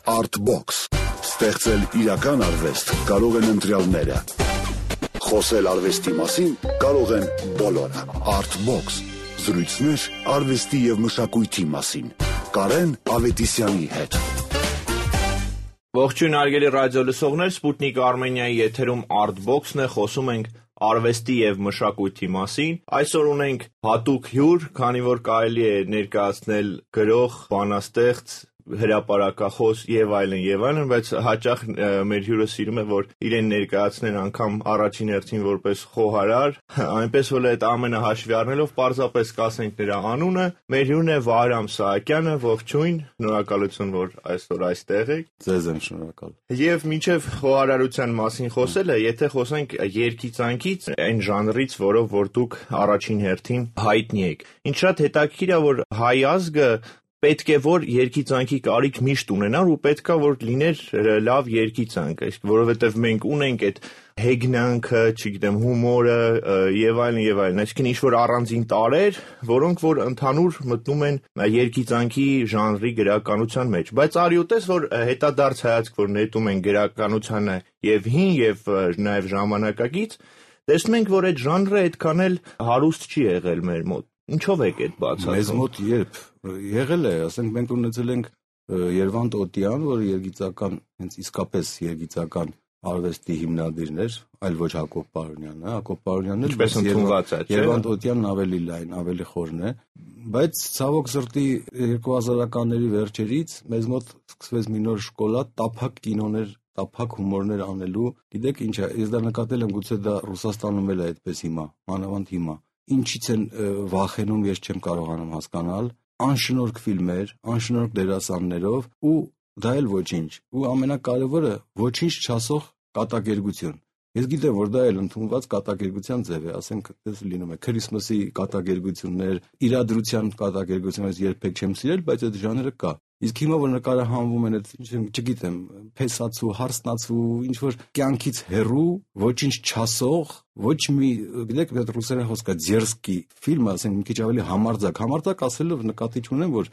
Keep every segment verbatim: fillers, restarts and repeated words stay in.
Artbox. Ստեղծել իրական արվեստ կարող են ընտրյալները։ Խոսել արվեստի մասին կարող են բոլորը։ Artbox. Զրույցներ արվեստի և մշակույթի մասին։ Կարեն Ավետիսյանի հետ։ Ողջույն հարգելի ռադիո լսողներ, Սպուտնիկ Արմենիայի եթերում Artbox-ն է, խոսում ենք արվեստի և մշակույթի մասին։ Այսօր ունենք հատուկ հյուր, քանի որ կարելի է ներկայացնել գրող, բանաստեղծ, հրապարակախոս եւ այլն եւ այլն, բայց հաճախ մեր հյուրը սիրում է, որ իրեն ներկայացնեն անգամ առաջին հերթին որպես խոհարար, այնպես որ այդ ամենը հաշվի առնելով պարզապես կասենք նրա անունը։ Մեր հյուրն է Վահրամ Սահակյանը, ողջույն, շնորհակալություն, որ այսօր այստեղ եք։ Ձեզ եմ շնորհակալ։ Եվ մինչև խոհարարության մասին խոսելը, եթե խոսենք երգիծանքից, այն ժանրից, որով որ դուք առաջին հերթին հայտնի եք։ Ինչ շատ հետաքրքիր է, որ հայ ազգը պետք է որ երգիծանքի կարիք միշտ ունենար ու պետք է որ լիներ լավ երգիծանք, որովհետև մենք ունենք այդ հեգնանքը, չգիտեմ, հումորը եւ այլն եւ այլն, այսինքն ինչ-որ առանձին տարրեր, որոնք որ ընդհանուր մտնում են երգիծանքի ժանրի գրականության մեջ։ Բայց արյութես, որ հետադարձ հայացք, որ նետում են գրականությանը եւ հին եւ նաեւ ժամանակակից, տեսնում ենք, որ այդ ժանրը այդքան էլ հարուստ չի եղել մեր մոտ։ Ինչով եք այդ բացատրում։ Մեզ մոտ երբ եղել է, ասենք մենք ունեցել ենք Երվանդ Օտյան, որը երգիծական, հենց իսկապես երգիծական արվեստի հիմնադիրն էր, այլ ոչ Հակոբ Պարոնյանը, Հակոբ Պարոնյանն էլ ինչպես ընդունված է, չէ՞։ Երվանդ Օտյանն ավելի լայն, ավելի խորն է, բայց ցավոք սրտի երկու հազարականների վերջերից մեզ մոտ սկսվեց մի նոր շկոլա, տափակ կինոներ, տափակ հումորներ անելու։ Գիտեք ինչ է, ես դա նկատել եմ, գուցե դա Ռուսաստանում էլ է այդպես հիմա, մանավանդ հիմա։ Ինչից են վախենում, ես չեմ կարողանում հասկանալ, անշնորհք ֆիլմեր, անշնորհք դերասաններով ու դա էլ ոչինչ, ու ամենակարևորը ոչինչ չասող կատակերգություն։ Ես գիտեմ, որ դա էլ ընդունված կատակերգության ձև է, ասենք, դες լինում է Քրիսմասի կատակերգություններ, իրադրության կատակերգություններ, երբեք չեմ սիրել, բայց այդ ժանրը կա։ Իսկ հիմա որ նկարահանվում են այդ, չգիտեմ, փեսացու, հարսնացու, ինչ որ կյանքից հեռու, ոչինչ չասող, ոչ մի, գիտեք, այդ ռուսերեն խոսքը ձերսկի ֆիլմը, ասենք, մի քիչ ավելի համարձակ, համարձակ ասելով նկատի չունեմ, որ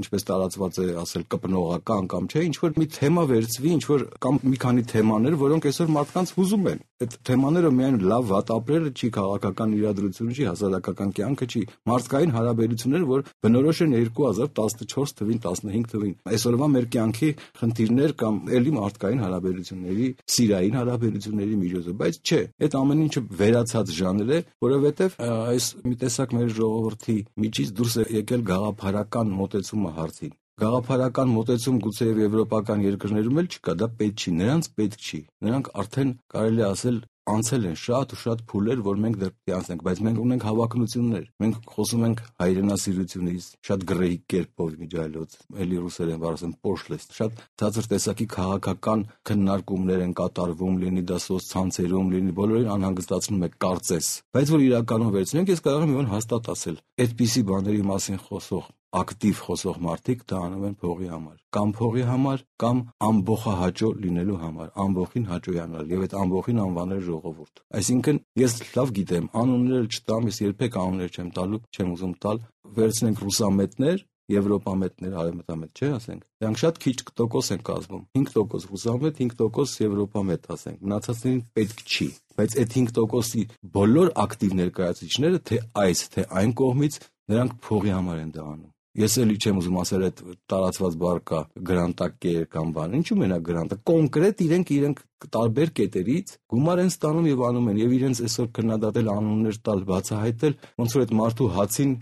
ինչպես տարածված է ասել կպնողական կամ չէ, ինչ որ մի թեմա վերցվի, ինչ որ կամ մի քանի թեմաներ, որոնք այսօր մարդկանց հուզում են։ Այդ թեմաները միայն լավ վատ ապրելը չի, քաղաքական իրադրությունը չի, հասարակական կյանքը չի, մարդկային հարաբերությունները, որ բնորոշ են երկու հազար տասնչորս թվին, տասնհինգ թվին։ Այսօրվա մեր կյանքի խնդիրներ կամ էլի մարդկային հարաբերությունների, սիրային հարաբերությունների միջոցով, բայց չէ, այդ ամեն ինչը վերացած ժանր է, որովհետև այս մի տեսակ մեր ժողովրդի միջից դուրս է եկել գաղափարական մոտեցումը հարցին։ Գաղափարական մոտեցում գուցե եւ եվրոպական երկրներում էլ չկա, դա պետք չի, նրանց պետք չի։ Նրանք արդեն կարելի ասել անցել են շատ ու շատ փուլեր, որ մենք դեռ պետք է անցնենք, բայց մենք ունենք հավակնություններ։ Մենք խոսում ենք հայրենասիրությունից, շատ գրեհիկ կերպով միջայլոց, էլի ռուսերեն բառացեմ պոշլեստ, շատ ցածր տեսակի քաղաքական քննարկումներ են կատարվում, լինի դա սոցցանցերում, լինի բոլորին անհանգստացնում է կարծես։ Բայց որ իրականում վերցնենք, ես կարող եմ մի բան հաստատ ասել։ Այդպիսի բաների մասին խոսող ակտիվ խոսող մարդիկ դա անում են փողի համար, կամ փողի համար, կամ ամբողջահաճո լինելու համար, ամբողջին հաճոյանալ եւ այդ ամբողջին անվանել ժողովուրդ։ Այսինքն ես լավ գիտեմ, անուններ չտամ, ես երբեք անուններ չեմ տալու, չեմ ուզում տալ, վերցնենք ռուսամետներ, եվրոպամետներ, արևմտամետ, չէ, ասենք։ Դրանք շատ քիչ տոկոս են կազմում։ հինգ տոկոս ռուսամետ, հինգ տոկոս եվրոպամետ, ասենք։ Մնացածներին պետք չի։ Բայց այդ հինգ տոկոսի բոլոր ակտիվ ներկայացուցիչները, թե այս, թե այն կողմից, նրանք փողի համար են դա անում։ Ես էլի չեմ ուզում ասել այդ տարածված բառ կա գրանտակեր կամ բան, ինչու մենակ գրանտը, կոնկրետ իրենք իրենք տարբեր կետերից գումար են ստանում եւ անում են եւ իրենց այսօր քննադատել անուններ տալ, բացահայտել, ոնց որ այդ մարդու հացին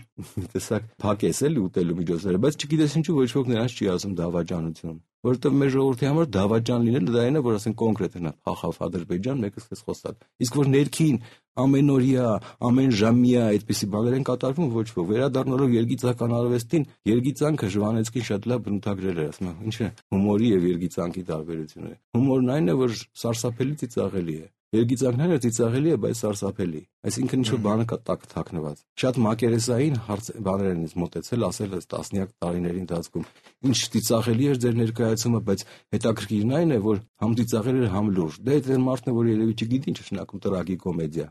տեսակ փակես էլի ուտելու միջոցները, բայց չգիտես ինչու ոչ ոք նրանց չի ասում դավաճանություն, որովհետեւ մեր ժողովրդի համար դավաճան լինելը դա այն է, որ ասեն կոնկրետ հնա փախավ Ադրբեջան, մեկը սկսեց խոսալ, իսկ որ ներքին ամենօրյա, ամեն ժամյա այդպիսի բաներ են կատարվում, ոչ ոք վերադառնալով երգիծական արվեստին, երգիծանքը Ժվանեցկին շատ լավ բնութագրել էր, ասում է, ինչ է հումորի եւ երգիծանքի տարբերությունը։ Հումորն այն է, որ սարսափելի ծիծաղելի է։ Երգիծանքն այն է ծիծաղելի է, բայց սարսափելի։ Այսինքն ինչ-որ բանը կա տակ թաքնված։ Շատ մակերեսային հարց բաներ են ինձ մոտեցել, ասել ըստ տասնյակ տարիների ընթացքում։ Ինչ ծիծաղելի էր ձեր ներկայացումը, բայց հետաքրքիրն այն է, որ համ ծիծաղել էր, համ լուրջ։ Դա այդ մարդն է, որ երևի չգիտի ինչ է շնակում տրագիկոմեդիա։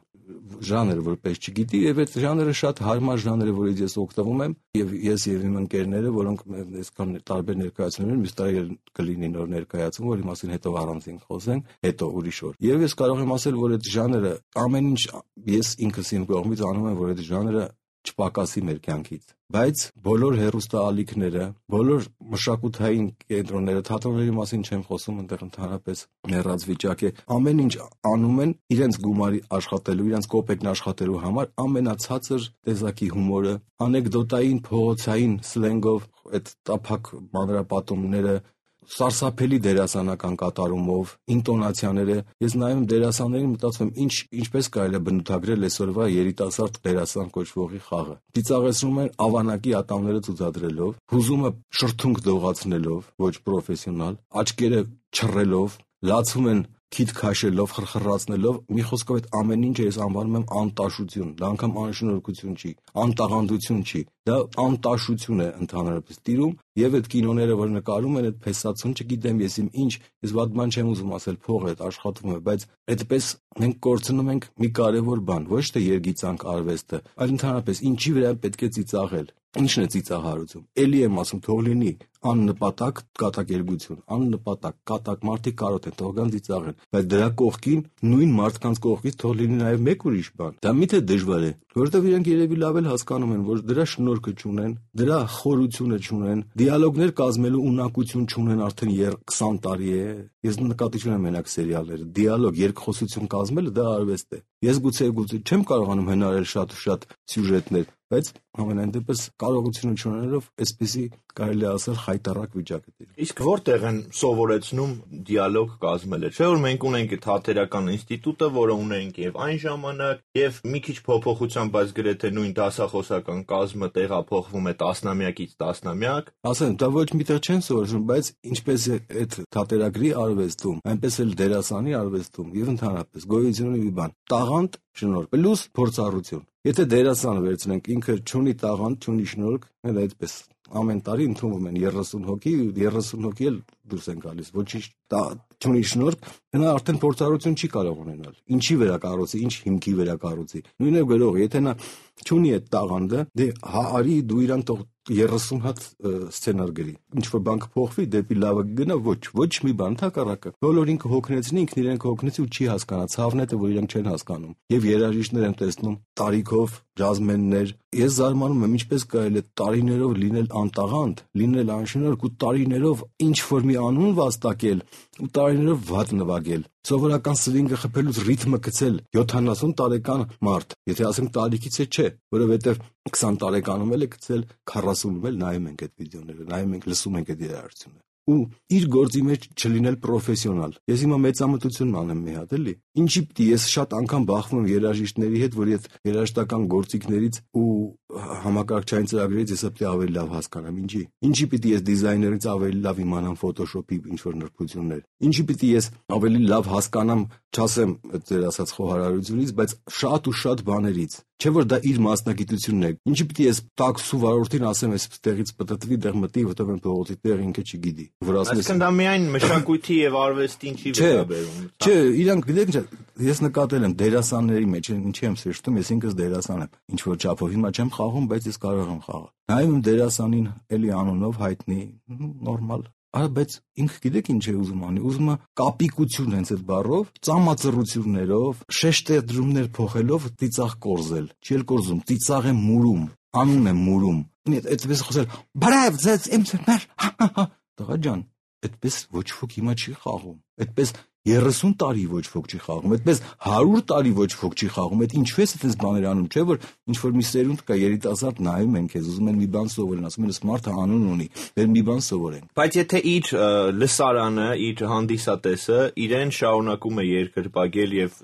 ժանր որպես չգիտի, եւ այդ ժանրը շատ հարմար ժանր է, որից ես օգտվում եմ, եւ ես եւ իմ ընկերները, որոնք այսքան տարբեր ներկայացումներ են, մյուս տարի կլինի նոր ներկայացում, որի մասին հետո առանձին խոսենք, հետո ուրիշ օր։ Եվ ես կարող եմ ասել, որ այդ ժանրը ամեն ինչ ես ինքս իմ կողմից անում եմ, որ այդ ժանրը չպակասի մեր կյանքից, բայց բոլոր հեռուստաալիքները, բոլոր մշակութային կենտրոնները, թատրոնների մասին չեմ խոսում, այնտեղ ընդհանրապես մեռած վիճակ է, ամեն ինչ անում են իրենց գումարի աշխատելու, իրենց կոպեկն աշխատելու համար, ամենացածր տեսակի հումորը, անեկդոտային, փողոցային սլենգով, այդ տափակ մանրապատումները, սարսափելի դերասանական կատարումով, ինտոնացիաները, ես նայում դերասաններին մտածում եմ, ինչ ինչպես կարելի է բնութագրել այսօրվա երիտասարդ դերասան կոչվողի խաղը։ Ծիծաղեցնում են ավանակի ատամները ցուցադրելով, հուզումը շրթունք դողացնելով, ոչ պրոֆեսիոնալ, աչքերը չռելով, լացում են քիթ քաշելով, խրխրացնելով, մի խոսքով այդ ամեն ինչը ես անվանում եմ անտաշություն, դա անգամ անշնորհքություն չի, անտաղանդություն չի, դա անտաշություն է ընդհանրապես տիրում, եւ այդ կինոները, որ նկարում են այդ փեսացուն, չգիտեմ ես իմ ինչ, ես վատ բան չեմ ուզում ասել, փող է, աշխատում է, բայց այդպես մենք կորցնում ենք մի կարևոր բան, ոչ թե երգիծանք արվեստը, այլ ընդհանրապես ինչի վրա պետք է ծիծաղել։ Ինչն է ծիծաղարություն։ Էլի եմ ասում, թող լինի աննպատակ կատակերգություն, աննպատակ կատակ մարդիկ կարոտ են, թող գան ծիծաղեն, բայց դրա կողքին նույն մարդկանց կողքից թող լինի նաև մեկ ուրիշ բան։ Դա միթե դժվար է, որովհետև իրենք երևի լավ էլ հասկանում են, որ դրա շնորհքը չունեն, դրա խորությունը չունեն, դիալոգներ կազմելու ունակություն չունեն արդեն քսան տարի է։ Ես նկատի չունեմ մենակ սերիալները, դիալոգ, երկխոսություն կազմելը դա արվեստ է։ Ես գուցե գուցե չեմ կարողանում հնարել շատ ու շատ սյուժետներ, բայց ամենայն դեպս կարողությունը չունենալով այսպեսի կարելի է ասել խայտառակ վիճակ է տիրում։ Իսկ որտեղ են սովորեցնում դիալոգ կազմելը։ Չէ՞ որ մենք ունենք այդ հաթերական ինստիտուտը, որը ունենք եւ այն ժամանակ, եւ մի քիչ փոփոխությամբ, բայց գրեթե նույն դասախոսական կազմը տեղափոխվում է տասնամյակից տասնամյակ։ Ասեմ, դա ոչ միտեղ չեն սովորում, բայց ինչպես է այդ թատերագրի արվեստում, այնպես էլ դերասանի արվեստում եւ ընդհանրապես գոյություն ունի մի բան՝ տաղանդ, շնորհք, պլյուս փորձառություն։ Եթե դերասանը վերցնենք, ինքը չունի տաղանդ, չունի շնորհք, այդ այդպես ամեն տարի ընդունվում են երեսուն հոգի, երեսուն հոգի էլ դուրս են գալիս, ոչինչ չունի շնորհք, նա արդեն փորձառություն չի կարող ունենալ։ Ինչի վրա կառուցի, ինչ հիմքի վրա կառուցի։ Նույնը գրող, եթե նա չունի այդ տաղանդը, դե հա արի դու իրան թող երեսուն հատ սցենար գրի։ Ինչ որ բան կփոխվի, դեպի լավը գնա, ոչ, ոչ մի բան, թակառակը։ Բոլոր ինքը հոգնեցնի, ինքն իրեն հոգնեցի ու չի հասկանա, ցավն է, որ իրենք չեն հասկանում։ Եվ երաժիշտներ եմ տեսնում, տարիքով, ջազմեններ։ Ես զարմանում եմ, ինչպես կարելի է տարիներով լինել անտաղանդ, լինել անշնորհք ու տարիներով ինչ որ մի անուն վաստակել ու տարիներով վատ նվագել։ Սովորական սլինգը խփելուց ռիթմը գցել յոթանասուն տարեկան մարդ, եթե ասենք տարիքից է չէ, որովհետև քսան տարեկանում էլ է գցել, քառասունում էլ նայում ենք այդ վիդեոները, նայում ենք, լսում ենք այդ երաժշտությունը։ Ու իր գործի մեջ չլինել պրոֆեսիոնալ։ Ես հիմա մեծամտություն անեմ մի հատ, էլի։ Ինչի պիտի ես շատ անգամ բախվում եմ երաժիշտների հետ, որ այդ երաժշտական գործիքներից ու համակարգչային ծրագրերից ես պետք է ավելի լավ հասկանամ, ինչի։ Ինչի պիտի ես դիզայներից ավելի լավ իմանամ Photoshop-ի ինչ որ նրբություններ։ Ինչի պիտի ես ավելի լավ հասկանամ, չասեմ ձեր ասած խոհարարությունից, բայց շատ ու շատ բաներից։ Չէ որ դա իր մասնագիտությունն է։ Ինչի պիտի ես տաքսու վարորդին ասեմ, այս տեղից պտտվի, տեղ մտի, որտեղ են փողոցի տեղ ինքը չգիտի։ Այսինքն դա միայն մշակույթի եւ արվեստին չի վերաբերում։ Չէ, իրանք գիտեք ինչ, ես նկատել եմ դերասանների մեջ, ինչի եմ սրճում, ես ինքս դերասան եմ։ Ինչ որ չափով հիմա չեմ խաղում, բայց ես կարող եմ խաղալ։ Նայում եմ դերասանին, էլի անունով հայտնի, նորմալ։ Արա, բայց ինքը գիտեք ինչ է ուզում անի, ուզում է կապիկություն հենց այդ բառով, ծամածռություններով, շեշտադրումներ փոխելով ծիծաղ կորզել։ Չի էլ կորզում, ծիծաղ է մուրում, անուն է մուրում։ Այդպես խոսել, բարև, ձեզ իմ սեր, տղա ջան, այդպես ոչ ոք հիմա չի խաղում։ Այդպես երեսուն տարի ոչ ոք չի խաղում, այդպես հարյուր տարի ոչ ոք չի խաղում, այդ ինչու ես այդպես բաներ անում, չէ՞ որ ինչ որ մի սերունդ կա երիտասարդ նայում են քեզ, ուզում են մի բան սովորեն, ասում են սմարթը անուն ունի, բեր մի բան սովորենք։ Բայց եթե իր լսարանը, իր հանդիսատեսը իրեն շարունակում է երկրպագել եւ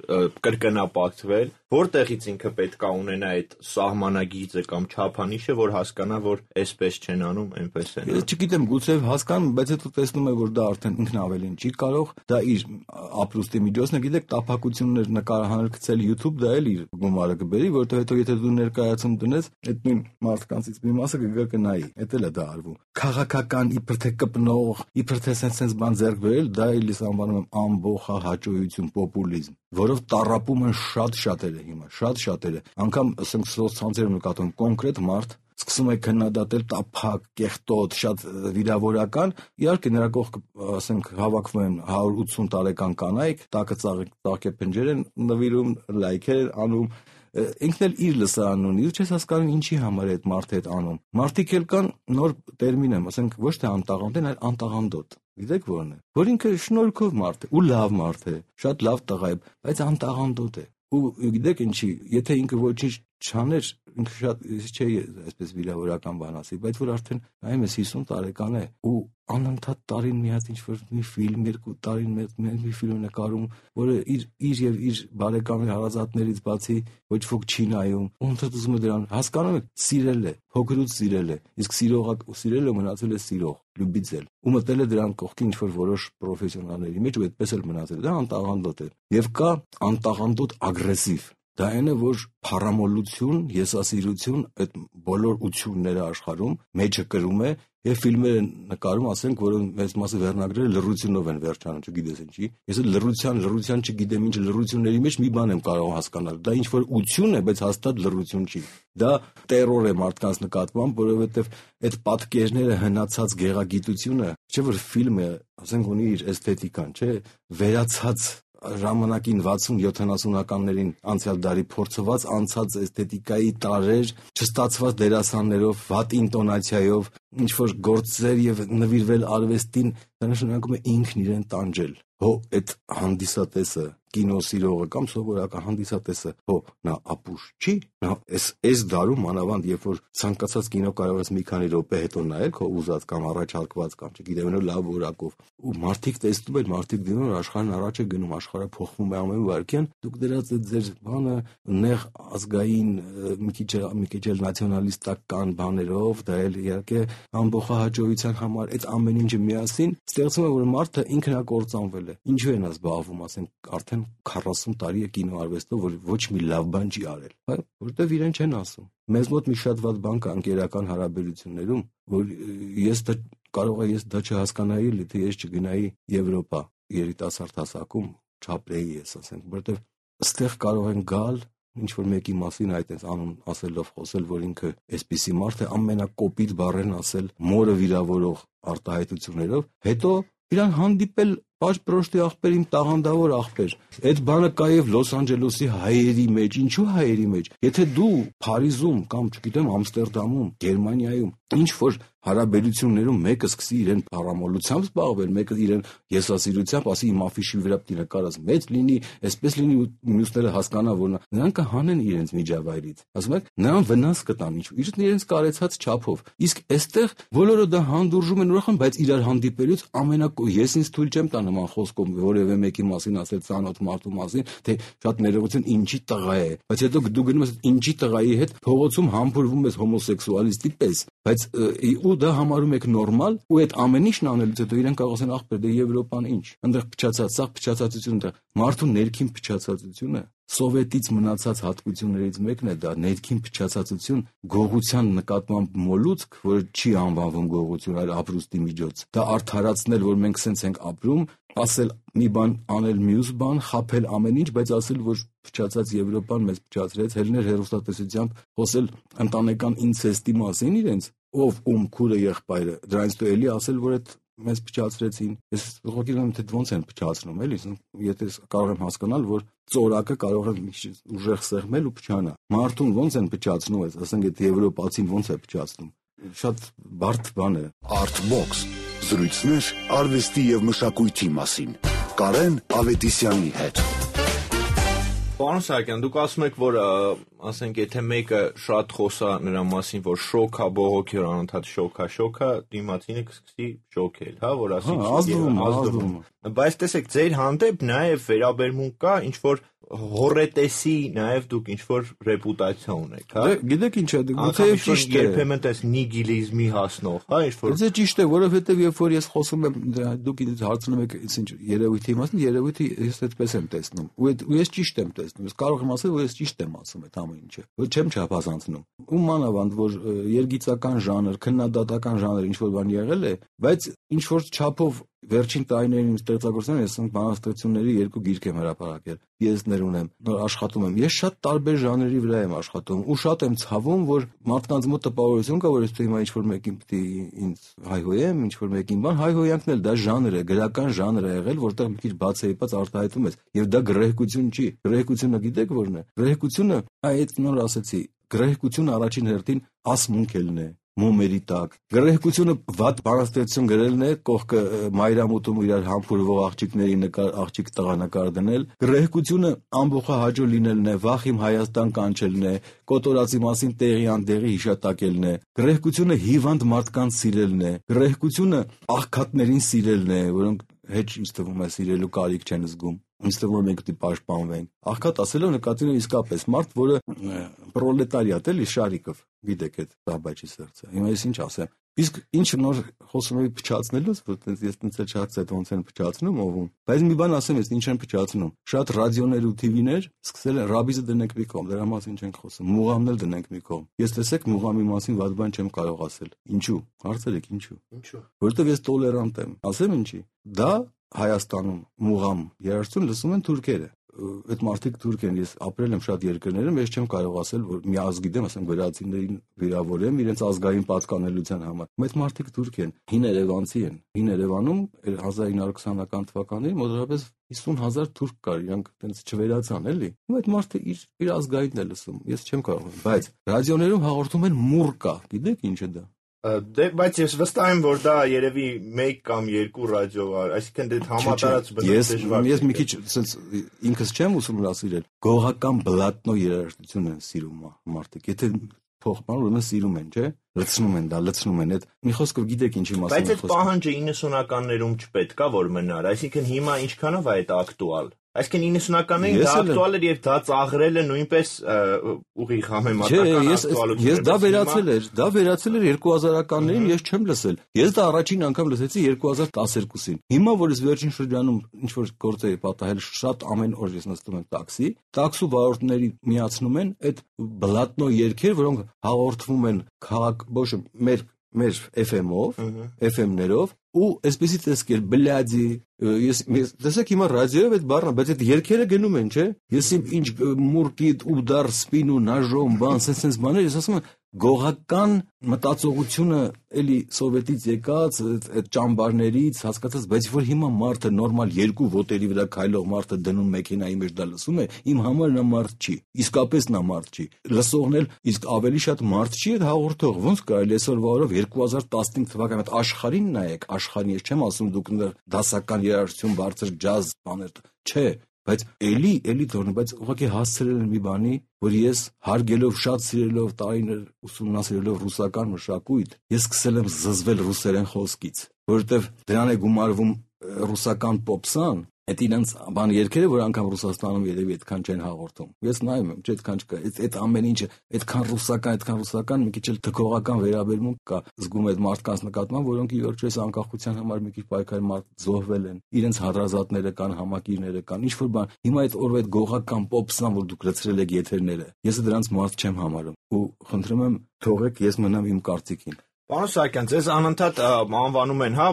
կրկնապատկվել, որտեղից ինքը պետք է ունենա այդ սահմանագիծը կամ չափանիշը, որ հասկանա, որ այսպես չեն անում, այնպես են անում։ Ես չգիտեմ, գուցե հասկանում, բայց հետո տեսնում եմ, որ դա արդեն ինքն ավելին չի կարող, դա իր ապրուստի միջոցն է, գիտեք, տափակություններ նկարահանել գցել YouTube, դա էլ իր գումարը կբերի, որովհետև հետո եթե դու ներկայացում դնես, այդ նույն մարդկանցից մի մասը կգա կնայի, էդ էլ է դա արվում։ Քաղաքական իբր թե կպնող, իբր թե sense բան ձեռք բերել, դա էլ ես անվանում եմ ամբողջ հաճոյություն, պոպուլիզմ, որով տառապում են շատ շատերը։ հիմա, շատ շատերը, անգամ ասենք սոցցանցերում նկատում կոնկրետ մարդ սկսում է քննադատել տափակ, կեղտոտ, շատ վիրավորական, իհարկե նրա կողքը ասենք հավաքվում են հարյուր ութսուն տարեկան կանայք, տակը ծաղկե փնջեր են նվիրում, լայքեր անում, ինքն էլ իր լսարանն ունի, ու չես հասկանում ինչի համար է այդ մարդը այդ անում։ Մարդիկ էլ կան, նոր տերմին եմ, ասենք ոչ թե անտաղանդ են, այլ անտաղանդոտ։ Գիտեք ո՞րն է։ Որ ինքը շնորհքով մարդ է, ու լավ մարդ է, շատ լավ տղա է, բայց անտաղանդոտ է։ Ու գիտեք ինչի, եթե ինքը ոչինչ չաներ, ինքը շատ չէ այսպես վիրավորական բան ասի, բայց որ արդեն նայում ես հիսուն տարեկան է ու անընդհատ տարին մի հատ ինչ-որ մի ֆիլմ, երկու տարին մի ֆիլմ նկարում, որը իր իր եւ իր բարեկամի հարազատներից բացի ոչ ոք չի նայում, ու ընդհանուր ուզում է դրան հասկանում եք, սիրել է, փոքրուց սիրել է, իսկ սիրողը սիրելը մնացել է սիրող, լյուբիցել, ու մտել է դրան կողքի ինչ-որ որոշ պրոֆեսիոնալների մեջ ու այդպես էլ մնացել, դա անտաղանդոտ է։ Եվ կա անտաղանդոտ ագրեսիվ։ Դա այն է, որ փառամոլություն, եսասիրություն, այդ բոլոր ությունները աշխարհում մեջը կրում է եւ ֆիլմերը նկարում, ասենք, որը մեծ մասը վերնագրերը լռությունով են վերջանում, չգիտես ինչի։ Ես էլ լռության, լռության չգիտեմ ինչ լռությունների մեջ մի բան եմ կարող հասկանալ։ Դա ինչ որ ություն է, բայց հաստատ լռություն չի։ Դա տերոր է մարդկանց նկատմամբ, որովհետեւ այդ պատկերները հնացած գեղագիտությունը, չէ՞ որ ֆիլմը, ասենք, ունի իր էսթետիկան, չէ՞, վերացած ժամանակին վաթսուն յոթանասունականներին անցյալ դարի փորձված անցած էսթետիկայի տարեր, չստացված դերասաններով, վատ ինտոնացիայով, ինչ որ գործեր եւ նվիրվել արվեստին, դա նշանակում է ինքն իրեն տանջել։ Հո այդ հանդիսատեսը, կինոսիրողը կամ սովորական հանդիսատեսը, հո նա ապուշ չի, նա էս էս դարում մանավանդ երբ որ ցանկացած կինո կարող ես մի քանի րոպե հետո նայել քո ուզած կամ առաջարկված կամ չգիտեմ լավ որակով ու մարդիկ տեսնում են, մարդիկ դիմում են, աշխարհն առաջ է գնում, աշխարհը փոխվում է ամեն վայրկյան, դուք դրած այդ ձեր բանը նեղ ազգային մի քիչ մի քիչ էլ նացիոնալիստական բաներով, դա էլ իհարկե ամբողջահաճոյության համար այդ ամեն ինչը միասին ստեղծում է, որ մարդը ինքնակործանվել է։ Ինչու են զբաղվում, ասենք, արդեն քառասուն տարի է կինոարվեստով, որ ոչ մի լավ բան չի արել, հա, որտեվ իրեն չեն ասում։ Մեզ մոտ մի շատ վատ բան կա ընկերական հարաբերություններում, որ ես դա կարող է ես դա չհասկանայի, թե ես չգնայի Եվրոպա երիտասարդ հասակում, չապրեի ես, ասենք, որտեվ այստեղ կարող են գալ ինչ որ մեկի մասին այդ այս անուն ասելով խոսել, որ ինքը այսպիսի մարդ է, ամենակոպիտ բառերն ասել, մորը վիրավորող արտահայտություններով, հետո իրան հանդիպել պաշտպրոշտի աղբեր, իմ տաղանդավոր աղբեր։ Այդ բանը կա եւ Լոս Անջելեսի հայերի մեջ, ինչու հայերի մեջ։ Եթե դու Փարիզում կամ չգիտեմ Ամստերդամում, Գերմանիայում ինչ որ հարաբերություններում մեկը սկսի իրեն փառամոլությամբ զբաղվել, մեկը իրեն եսասիրությամբ ասի իմ աֆիշի վրա պիտի նկարած մեծ լինի, այսպես լինի ու մյուսները հասկանա, որ նրանք կհանեն իրենց միջավայրից։ Ասում եք, նրան վնաս կտան ինչ, իրենց կարեցած չափով։ Իսկ այստեղ բոլորը դա հանդուրժում են ուրախան, բայց իրար հանդիպելուց ամենակո ես ինձ թույլ չեմ տա նման խոսքով որևէ մեկի մասին ասել ցանոթ մարդու մասին, թե շատ ներողություն ինչի տղա է, բայց հետո դու գնում ես ինչի տղայի հետ փողոցում համբուրվում ես հոմոսեքսուալիստի պես, բայց ու դա համարում եք նորմալ, ու այդ ամեն ինչն անելուց հետո իրեն կարող ասեն ախպեր, դե Եվրոպան ինչ, այնտեղ փչացած, սա փչացածությունն է, մարդու ներքին փչացածությունը սովետից մնացած հատկություններից մեկն է դա ներքին փչացածություն, գողության նկատմամբ մոլուցք, որը չի անվանվում գողություն, այլ ապրուստի միջոց։ Դա արդարացնել, որ մենք սենց ենք ապրում, ասել մի բան, անել մյուս բան, խաբել ամեն ինչ, բայց ասել, որ փչացած Եվրոպան մեզ փչացրեց, հելներ հերոստատեսությամբ խոսել ընտանեկան ինցեստի մասին իրենց, ով ում քուրը եղբայրը, դրանից դու էլի ասել, որ այդ մեզ փչացրեցին։ Ես ուղղակի գիտեմ, թե ոնց են փչացնում, էլի, եթե կարող եմ հասկանալ, որ ծորակը կարող է ուժեղ սեղմել ու փչանա։ Մարդուն ոնց են փչացնում, ասենք, այդ եվրոպացին ոնց է փչացնում։ Շատ բարդ բան է։ Artbox զրույցներ արվեստի եւ մշակույթի մասին։ Կարեն Ավետիսյանի հետ։ Պարոն Սահակյան, դուք ասում եք, որ ասենք, եթե մեկը շատ խոսա նրա մասին, որ շոքա, բողոքի, որ անընդհատ շոքա, շոքա, դիմացինը կսկսի շոքել, հա, որ ասի, ազդվում, ազդվում։ Բայց տեսեք, ձեր հանդեպ նաև վերաբերմունք կա, ինչ որ հոռետեսի նաև դուք ինչ որ ռեպուտացիա ունեք, հա։ Գիտեք ինչ է, գուցե ճիշտ է։ Երբեմն տես նիգիլիզմի հասնող, հա, ինչ որ։ Գուցե ճիշտ է, որովհետև երբ որ ես խոսում եմ, դուք ինձ հարցնում եք, ինչ երևույթի մասին, երևույթը ես այդպես եմ տեսնում։ Ու ես ճիշտ եմ տեսնում։ Ես կարող եմ ասել, որ ես ճիշտ եմ ասում այդ ամեն ինչը։ Որ չեմ չափազանցնում։ Ու մանավանդ, որ երգիծական ժանր, քննադատական ժանր ինչ որ բան եղել է, բայց ինչ որ չափով վերջին տարիներին իմ ստեղծագործության ես բանաստեղծությունների երկու գիրք եմ հրապարակել, պիեսներ ունեմ, նոր աշխատում եմ։ Ես շատ տարբեր ժանրերի վրա եմ աշխատում ու շատ եմ ցավում, որ մարդկանց մոտ տպավորություն կա, որ եթե հիմա ինչ-որ մեկին պետք է ինձ հայհոյեմ, ինչ-որ մեկին բան, հայհոյանքն էլ դա ժանր է, գրական ժանր է եղել, որտեղ մի քիչ բացեիպած արտահայտում ես, եւ դա գրեհկություն չի։ Գրեհկությունը գիտեք ո՞րն է։ Գրեհկությունը, այդ նոր ասեցի, գրեհկությունը առաջին հերթին ասմունքելն է, մոմերի տակ։ Գրեհկությունը վատ բանաստեղծություն գրելն է, կողքը մայրամուտում իրար համբուրվող աղջիկների նկար, աղջիկ տղա նկար դնել։ Գրեհկությունը ամբողջահաճո լինելն է, վախ իմ Հայաստան կանչելն է, կոտորածի մասին տեղի անդեղի հիշատակելն է։ Գրեհկությունը հիվանդ մարդկանց սիրելն է։ Գրեհկությունը աղքատներին սիրելն է, որոնք հետ ինձ թվում է սիրելու կարիք չեն զգում։ Ինձ թվում է մենք պետք է պաշտպանվենք։ Աղքատ ասելով նկատի ունեմ իսկապես մարդ, որը պրոլետարիատ էլի Շարիկով, գիտեք այդ Ռաբաչի սերծը։ Հիմա ես ինչ ասեմ։ Իսկ ինչ նոր խոսում եմ փչացնելուց, որ ես տենց էլ չհասցա ոնց են փչացնում ովում։ Բայց մի բան ասեմ, ես ինչ են փչացնում։ Շատ ռադիոներ ու թիվիներ սկսել են ռաբիզը դնենք մի կողմ, դրա մասին չենք խոսում։ Մուղամն էլ դնենք մի կողմ։ Ես տեսեք մուղամի մասին վատ բան չեմ կարող ասել։ Ինչու։ Հարցրեք ինչու։ Ինչու։ Որովհետև ես տոլերանտ եմ։ Ասեմ ինչի։ Դա Հայաստանում մուղամ երաժշտություն լսում են թուրքերը։ Այդ մարդիկ թուրք են, ես ապրել եմ շատ երկրներում, ես չեմ կարող ասել, որ մի ազգ գիտեմ, ասեմ գրացիներին վիրավորեմ իրենց ազգային պատկանելիության համար։ Այդ մարդիկ թուրք են, հին երևանցի են։ Հին Երևանում հազար ինը հարյուր քսանական թվականներին մոտավորապես հիսուն հազար թուրք կար, իրանք այտենց չվերացան, էլի։ Ու այդ մարդը իր իր ազգայինն է լսում, ես չեմ կարող։ Բայց ռադիոներում հաղորդում են մուրկա, գիտեք ինչ է դա։ Դե բայց ես վստահ եմ, որ դա երևի մեկ կամ երկու ռադիո է, այսինքն դե համատարած բնույթ դժվար։ Ես մի քիչ ասենց ինքս չեմ ուսումնասիրել։ Գողական բլատնո երաժշտություն են սիրում մարդիկ։ Եթե փոխման ուրեմն սիրում են, չէ՞։ Լցնում են դա, լցնում են այդ։ Մի խոսքով գիտեք ինչի մասին եմ խոսում։ Բայց այդ պահանջը իննսունականներում չպետք է որ մնար, այսինքն հիմա ինչքանով է այդ ակտուալ։ Այսինքն իննսունականներին դա ակտուալ էր եւ դա ծաղրելը նույնպես ուղիղ համեմատական ակտուալություն էր։ Ես դա վերացել էր, դա վերացել էր երկու հազարականներին, ես չեմ լսել։ Ես դա առաջին անգամ լսեցի երկու հազար տասներկուսին։ Հիմա որ ես վերջին շրջանում ինչ որ գործ էի պատահել, շատ ամեն օր ես նստում եմ տաքսի, տաքսու վարորդների միացնում են այդ բլատնո երգեր, որոնք հաղորդվում են քաղաք, ոչ մեր մեր էֆ էմ-ով, էֆ էմ-ներով ու այսպեսի տեսքեր բլյադի ես տեսեք հիմա ռադիոյով այդ բառը, բայց այդ երգերը գնում են, չէ՞։ Ես ինչ մուրկիտ ուդար սպինու նաժոմ բան, sense բաներ, ես ասում եմ գողական մտածողությունը էլի սովետից եկած այդ ճամբարներից հասկացած, բայց որ հիմա մարդը նորմալ երկու ոտերի վրա քայլող մարդը դնում մեքենայի մեջ դա լսում է, իմ համար նա մարդ չի, իսկապես նա մարդ չի։ Լսողն էլ իսկ ավելի շատ մարդ չի այդ հաղորդող, ոնց կարելի այսօրվա օրով երկու հազար տասնհինգ թվականի այդ աշխարհին նայեք, աշխարհին ես չեմ ասում դուք դասական երաժշտություն, բարձր ջազ բաներ, չէ։ Բայց էլի, էլի թողնի, բայց ուղղակի հասցրել եմ մի բանի, որ ես հարգելով շատ սիրելով տարիներ ուսումնասիրելով ռուսական մշակույթ, ես սկսել եմ զզվել ռուսերեն խոսքից, որովհետև դրան է գումարվում ռուսական պոպսան, այդ իրենց բան երգերը, որ անգամ Ռուսաստանում երևի այդքան չեն հաղորդում։ Ես նայում եմ, չէ, այդքան չկա, այդ ամեն ինչը, այդքան ռուսական, այդքան ռուսական, մի քիչ էլ թքողական վերաբերմունք կա, զգում այդ մարդկանց նկատմամբ, որոնք ի վերջո այս անկախության համար մի քիչ պայքարի մարդ զոհվել են, իրենց հարազատները կան, համակիրները կան, ինչ որ բան։ Հիմա այդ օրվա այդ գողական պոպսան, որ դուք լցրել եք եթերները, ես դրանց մարդ չեմ համարում ու խնդրում եմ թողեք ես մնամ իմ կարծիքին։ Պարոն Սահակյան, ձեզ անընդհատ անվանում են, հա,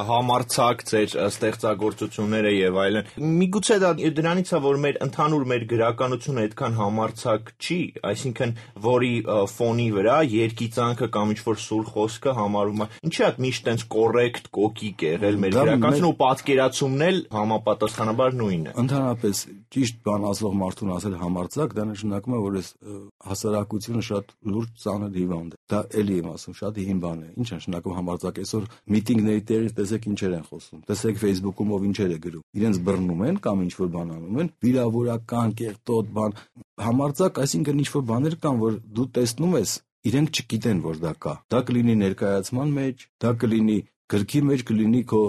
համարձակ ձեր ստեղծագործությունները եւ այլն։ Միգուցե դա դրանից է, որ մեր ընդհանուր մեր գրականությունը այդքան համարձակ չի, այսինքն որի ֆոնի վրա երկիծանքը կամ ինչ-որ սուր խոսքը համարվում է։ Ինչի՞ է միշտ տենց կոռեկտ, կոկիկ եղել մեր գրականությունը ու պատկերացումն էլ համապատասխանաբար նույնն է։ Ընդհանրապես ճիշտ բան ասող մարդուն ասել համարձակ, դա նշանակում է, որ այս հասարակությունը շատ լուրջ ծանր հիվանդ է։ Դա էլի եմ ասում, շատ հիմ բան է։ Ինչ է նշանակում համարձակ այսօր միտինգների տեղից տեսեք ինչեր են խոսում։ Տեսեք Facebook-ում ով ինչեր է գրում։ Իրենց բռնում են կամ ինչ որ բան անում են, վիրավորական, կեղտոտ բան։ Համարձակ, այսինքն ինչ որ բաներ կան, որ դու տեսնում ես, իրենք չգիտեն, որ դա կա։ Դա կլինի ներկայացման մեջ, դա կլինի գրքի մեջ, կլինի քո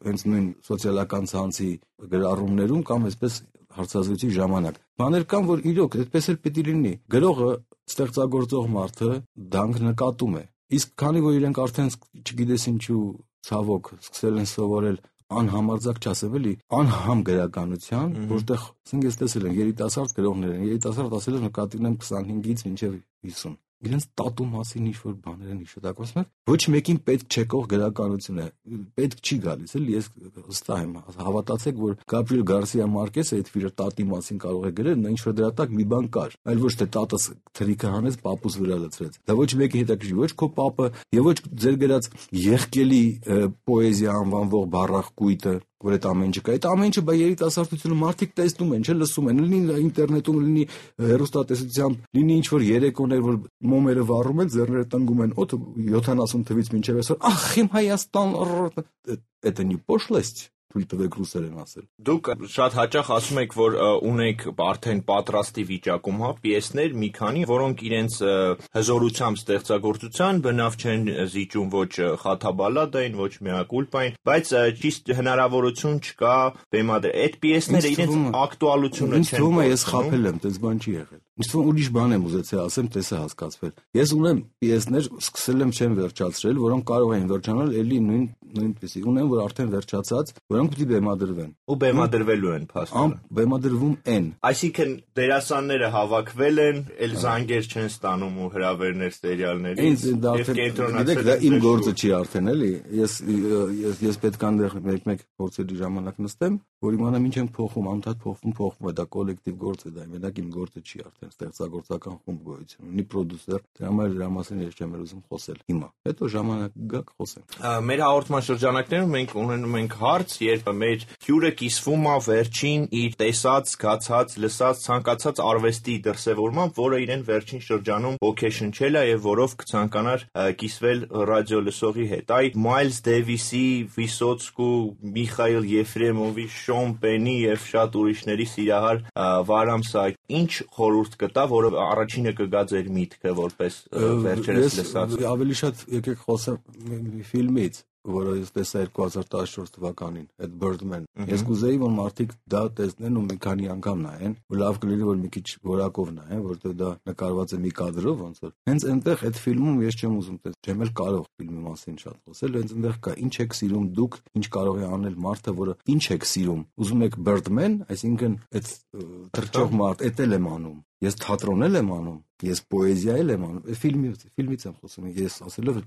հենց նույն սոցիալական ցանցի գրառումներում կամ այսպես հարցազրույցի ժամանակ։ Բաներ կան, որ իրոք այդպես էլ պետք է լինի։ Գրողը, ստեղծագործող մարդը դանք նկատում է։ Իսկ քանի որ իրենք արդեն չգիտես ինչու ցավոք սկսել են սովորել անհամարձակ չասել էլի անհամ գրականության, որտեղ ասենք ես տեսել եմ երիտասարդ գրողներ են, երիտասարդ ասելով նկատի ունեմ քսանհինգից մինչև հիսուն։ իրենց տատու մասին ինչ-որ բաներ են հիշատակում, ասում են, ոչ մեկին պետք չեկող գրականություն է, պետք չի գալիս, էլի ես վստահ եմ, հավատացեք, որ Գաբրիել Գարսիա Մարկեսը այդ իր տատի մասին կարող է գրել, նա ինչ-որ դրա տակ մի բան կար, այլ ոչ թե տատս թրիկը հանեց, պապուս վրա լցրեց։ Դա ոչ մեկի հետաքրքիր, ոչ քո պապը, եւ ոչ ձեր գրած եղկելի պոեզիա անվանվող բառախկույտը, որ այդ ամեն չկա, այդ ամեն ինչը բա երիտասարդությունը մարդիկ տեսնում են, չէ, լսում են, լինի ինտերնետում, լինի հեռուստատեսությամբ, լինի ինչ-որ երեկոներ, որ մոմերը վառում են, ձեռները տնգում են, օդ յոթանասուն թվից մինչև այսօր, ախ, իմ Հայաստան, это не пошлость, թույլ տվեք ռուսերեն ասել։ Դուք շատ հաճախ ասում եք, որ ունեք արդեն պատրաստի վիճակում, հա, պիեսներ մի քանի, որոնք իրենց հզորությամբ ստեղծագործության բնավ չեն զիջում ոչ խաթաբալադային, ոչ մեակուլպային, բայց ճիշտ հնարավորություն չկա բեմադրել։ Այդ պիեսները իրենց ակտուալությունը չեն։ Ինձ թվում է ես խաբել եմ, դες բան չի եղել։ Ինձ թվում ուրիշ բան եմ ուզեցել ասեմ, տեսա հասկացվել։ Ես ունեմ պիեսներ, սկսել եմ չեմ վերջացրել, որոնք կարող են վերջանալ էլի նույն նույնպեսի։ Ունեմ, որ արդեն վերջացած, որոնք պիտի բեմադրվեն։ Ու բեմադրվելու են փաստորեն։ Բեմադրվում են։ Այսինքն դերասանները հավաքվել են, էլ զանգեր չեն ստանում ու հրավերներ սերիալներից։ Եվ կենտրոնացել։ Դա իմ գործը չի արդեն, էլի։ Ես ես ես պետք է այնտեղ մեկ-մեկ փորձելի ժամանակ նստեմ, որ իմանամ ինչ եմ փոխում, անդադ փոխվում, փոխվում է, դա կոլեկտիվ գործ է, դա մենակ իմ գործը չի արդեն, ստեղծագործական խումբ գոյություն ունի, պրոդյուսեր, դրա համար դրա մասին ես չեմ ուզում խոսել հիմա։ Հետո ժամանակ գա կխոսեմ։ Մեր հաղորդման շրջանակներում մենք ունենում ենք հարց, երբ մեր հյուրը կիսվում է վերջին իր տեսած, զգացած, լսած, ցանկացած արվեստի դրսևորմամբ, որը իրեն վերջին շրջանում ոգեշնչել է եւ որով կցանկանար կիսվել ռադիո լսողի հետ։ Այդ Մայլս Դեվիսի, Վիսոցկու, Միխայիլ Եֆրեմովի, Շոն Պենի եւ շատ ուրիշների սիրահար Վարամ Սահակյանի ինչ խորհուրդ կտա, որը առաջինը կգա ձեր միտքը որպես վերջերս լսած։ Ավելի շատ եկեք խոսեմ ֆիլմից, որը ես տեսա երկու հազար տասնչորս թվականին, այդ Birdman։ Ես կուզեի, որ մարդիկ դա տեսնեն ու մի քանի անգամ նայեն, ու լավ կլինի, որ մի քիչ որակով նայեն, որտեղ դա նկարված է մի կադրով, ոնց որ։ Հենց այնտեղ այդ ֆիլմում ես չեմ ուզում տեսնել, չեմ էլ կարող ֆիլմի մասին շատ խոսել, հենց այնտեղ կա ինչ եք սիրում դուք, ինչ կարող է անել մարդը, որը ինչ եք սիրում։ Ուզում եք Birdman, այսինքն այդ թռչող մարդ, էդ էլ եմ անում։ Ես թատրոն եմ անում, ես պոեզիա եմ անում, ֆիլմից, ֆիլմից եմ խոսում, ես ասելով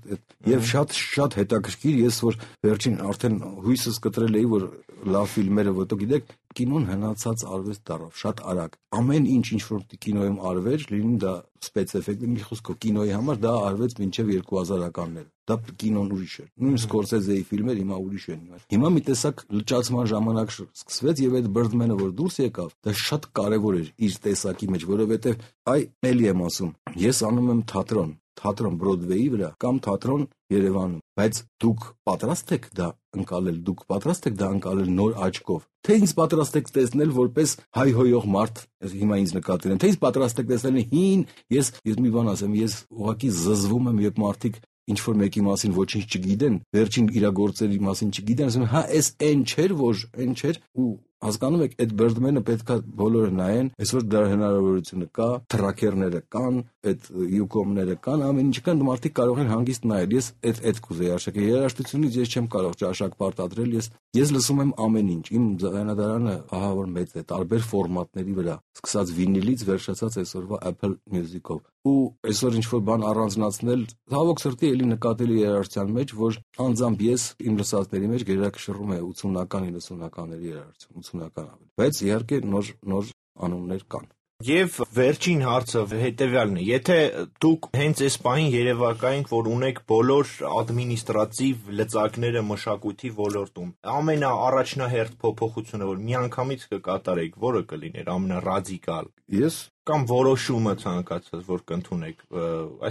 եւ շատ շատ հետաքրքիր, ես որ վերջին արդեն հույսս կտրել էի, որ լավ ֆիլմերը, որտեղ գիտեք, կինոն հնացած արվեստ դառավ, շատ արագ։ Ամեն ինչ ինչ որ կինոյում արվեր, լինի դա սպեցէֆեկտ, մի խոսքով կինոյի համար դա արվեց մինչև երկու հազարականները։ Դա կինոն ուրիշ էր։ Նույն Սկորսեզեի ֆիլմեր հիմա ուրիշ են։ Հիմա մի տեսակ լճացման ժամանակ սկսվեց եւ այդ Birdman-ը որ դուրս եկավ, դա շատ կարեւոր էր իր տեսակի մեջ, որովհետեւ այ էլի եմ ասում, ես անում եմ թատրոն, թատրոն Բրոդվեյի վրա կամ թատրոն Երևանում, բայց դուք պատրաստ եք դա ընկալել, դուք պատրաստ եք դա ընկալել նոր աչքով, թե ինձ պատրաստ եք տեսնել որպես հայհոյող մարդ, հիմա ինձ նկատել են, թե ինձ պատրաստ եք տեսնել հին, ես ես մի բան ասեմ, ես ուղղակի զզվում եմ, երբ մարդիկ ինչ որ մեկի մասին ոչինչ չգիտեն, վերջին իրագործերի մասին չգիտեն, ասում են, հա, էս այն չէր, որ այն չէր, ու հասկանում եք, այդ Birdman-ը պետքա բոլորը նայեն, այսօր դրա հնարավորությունը կա, թրաքերները կան, այդ յուկոմները կան, ամեն ինչ կան, մարդիկ կարող են հանգիստ նայել։ Ես այդ այդ կուզեի արժեքը երաժշտությունից ես չեմ կարող ճաշակ պարտադրել, ես ես լսում եմ ամեն ինչ։ Իմ ձայնադարանը ահա որ մեծ է, տարբեր ֆորմատների վրա, սկսած վինիլից վերջացած այսօրվա Apple Music-ով։ Ու այսօր ինչ որ բան առանձնացնել, ցավոք սրտի էլի նկատելի երաժշտության մեջ, որ անձամբ ես իմ լսածների մեջ գերակշռում է ութսունական իննսունականների երաժշտություն, ութսունական ավելի։ Բայց իհարկե նոր նոր անուններ կան։ Եվ վերջին հարցը հետևյալն է. եթե դուք հենց այս պահին երևակայինք, որ ունեք բոլոր ադմինիստրատիվ լծակները մշակույթի ոլորտում, ամենաառաջնահերթ փոփոխությունը, որ միանգամից կկատարեք, որը կլիներ ամենառադիկալ։ Ես կամ որոշումը ցանկացած, որ կընդունեք,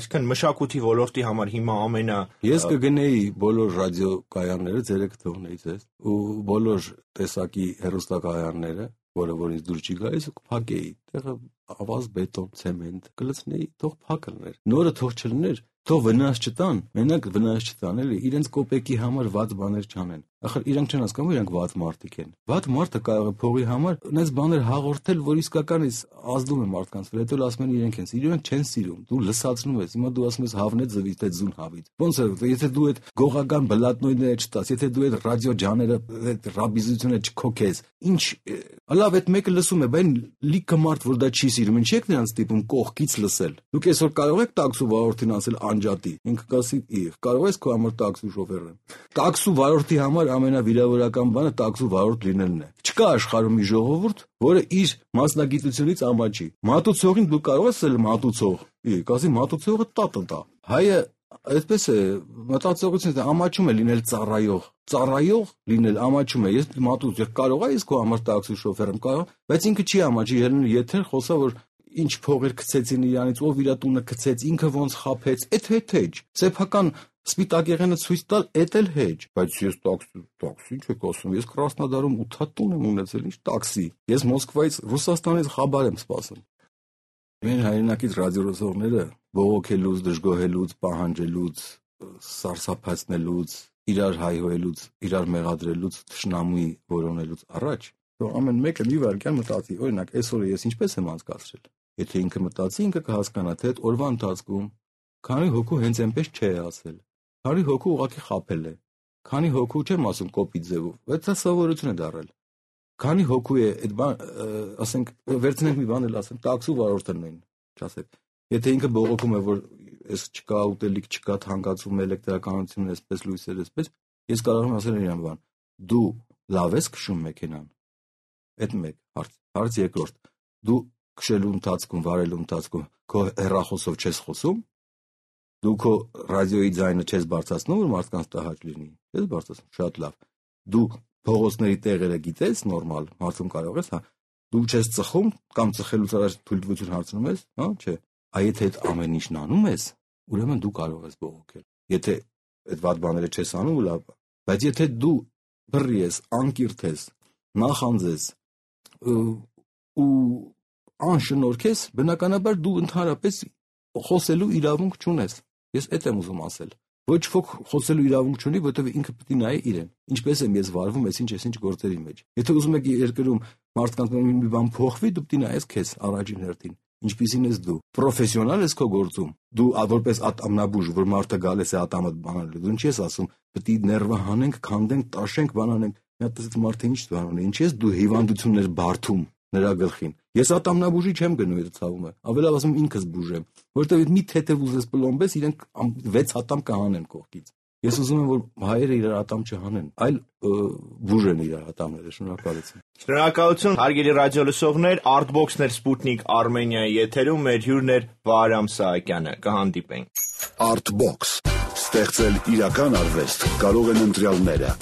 այսինքն մշակույթի ոլորտի համար հիմա ամենա Ես կգնեի բոլոր ռադիոկայանները, ձերեք թողնեից ես, ու բոլոր տեսակի հեռուստակայանները, որը որ ինձ դուր չի գալիս, կփակեի, տեղը ավազ բետոն, ցեմենտ, կլցնեի, թող փակ լիներ։ Նորը թող չլներ, թող վնաս չտան, մենակ վնաս չտան, էլի, իրենց կոպեկի համար վատ բաներ չանեն։ ախր իրանք չեն հասկանում, իրանք վատ մարդիկ են։ Վատ մարդը կարող է փողի համար այնպես բաներ հաղորդել, որ իսկական is ազդում է մարդկանց վրա, հետո ասում են իրենք են սիրում, իրենք չեն սիրում։ Դու լսացնում ես, հիմա դու ասում ես հավնեց զվից, թե զուն հավից։ Ոնց է, եթե դու այդ գողական բլատնոյները չտաս, եթե դու այդ ռադիո ջաները, այդ ռաբիզությունը չքոքես, ինչ լավ այդ մեկը լսում է, բայց լիքը մարդ որ դա չի սիրում, ինչ եք նրանց տիպում կողքից լսել։ Դուք այսօր կարող եք տաքսու վարորդին ասել անջատի։ Ինքը կասի, «Իղ, կարող ես քո համար տաքսու շոֆեր եմ»։ Տաքսու վարորդի համար ամենավիրավորական բանը տաքսու վարորդ լինելն է։ Չկա աշխարհում մի ժողովուրդ, որը իր մասնագիտությունից ամաչի։ Մատուցողին դու կարող ես ասել մատուցող։ Ի, կասի մատուցողը տա-տա։ Հայը այսպես է, մտածողությունից ամաչում է լինել ծառայող։ Ծառայող լինել ամաչում է։ Ես մատուց կարող եմ ես քո համար տաքսի շոֆեր եմ կարող, բայց ինքը չի ամաչի, եթե խոսա որ ինչ փողեր գցեցին իրանից, ով իր տունը գցեց, ինքը ոնց խափեց, այդ հետ էջ։ Սեփական սպիտակ եղենը ցույց տալ, էդ էլ հեջ, բայց ես տաքսի, տաքսի չեք ասում, ես Կրասնոդարում ութ տուն եմ ունեցել, ինչ տաքսի։ Ես Մոսկվայից, Ռուսաստանից խաբար եմ սպասում։ Մեր հայրենակից ռադիոլսողները բողոքելուց, դժգոհելուց, պահանջելուց, սարսափացնելուց, իրար հայհոյելուց, իրար մեղադրելուց, թշնամուի որոնելուց առաջ, թող ամեն մեկը մի վարքյան մտածի, օրինակ, այսօրը ես ինչպես եմ անցկացրել։ Եթե ինքը մտածի, ինքը կհասկանա, թե այդ օրվա ընթացքում քանի հոգու հենց այնպես չէ ասել, քանի հոգու ուղղակի խաբել է, քանի հոգու չեմ ասում կոպիտ ձևով, բայց դա սովորություն է դառել։ Քանի հոգու է այդ բան, ասենք, վերցնենք մի բան էլ ասեմ, տաքսու վարորդը նույն, չասեք։ Եթե ինքը բողոքում է, որ այս չկա ուտելիք, չկա թանկացում, էլեկտրականություն, այսպես լույսեր, այսպես, ես կարող եմ ասել իրան բան, դու լավ ես քշում մեքենան։ Այդ մեկ հարց, հարց երկրորդ, դու քշելու ընթացքում, վարելու ընթացքում քո հեռախոսով չես խոսում, դու քո ռադիոյի ձայնը չես բարձրացնում, որ մարդկանց տհաճ լինի, չես բարձրացնում, շատ լավ։ Դու փողոցների տեղերը գիտես, նորմալ, հարցում կարող ես, հա, դու չես ծխում կամ ծխելուց առաջ թույլտվություն հարցնում ես, հա, չէ։ Այ եթե այդ ամեն ինչն անում ես, ուրեմն դու կարող ես բողոքել։ Եթե այդ վատ բաները չես անում, լավ, բայց եթե դու բռի ես, անկիրթ ես, նախանձես ու անշնորհքես, բնականաբար դու ընդհանրապես խոսելու իրավունք չունես։ Ես այդ եմ ուզում ասել։ Ոչ ոք խոսելու իրավունք չունի, որովհետև ինքը պետք է նայի իրեն։ Ինչպես եմ ես վարվում, այսինչ այսինչ գործերի մեջ։ Եթե ուզում եք երկրում մարդկանց մի բան փոխվի, դու պետք է նայես քեզ առաջին հերթին։ Ինչպիսին ես դու։ Պրոֆեսիոնալ ես քո գործում։ Դու որպես ատամնաբուժ, որ մարդը գալիս է ատամը բանալու, դու ինչ ես ասում, պետք է ներվը հանենք, քանդենք, տաշենք, բանանենք։ Մի հատ էս մարդը ինչ բան ունի, ինչ ես դու հիվանդություններ բարթում նրա գլխին։ Ես ատամնաբուժի չեմ գնում այդ ցավումը։ Ավելավ ասում ինքս բուժեմ, որովհետև մի թեթև ուզես պլոմբես, իրենք վեց ատամ կհանեն կողքից։ Ես ուզում եմ որ հայերը իրար ատամ չհանեն, այլ բուժեն իրար ատամները, շնորհակալություն։ Շնորհակալություն, հարգելի ռադիոլսողներ, Artbox-ներ Sputnik Armenia-ի եթերում մեր հյուրն էր Վահրամ Սահակյանը, կհանդիպենք։ Artbox, ստեղծել իրական արվեստ կարող են ընտրյալները։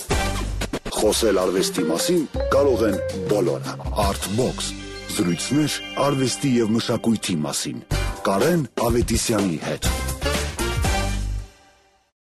Խոսել արվեստի մասին կարող են բոլորը։ Artbox, զրույցներ արվեստի եւ մշակույթի մասին։ Կարեն Ավետիսյանի հետ։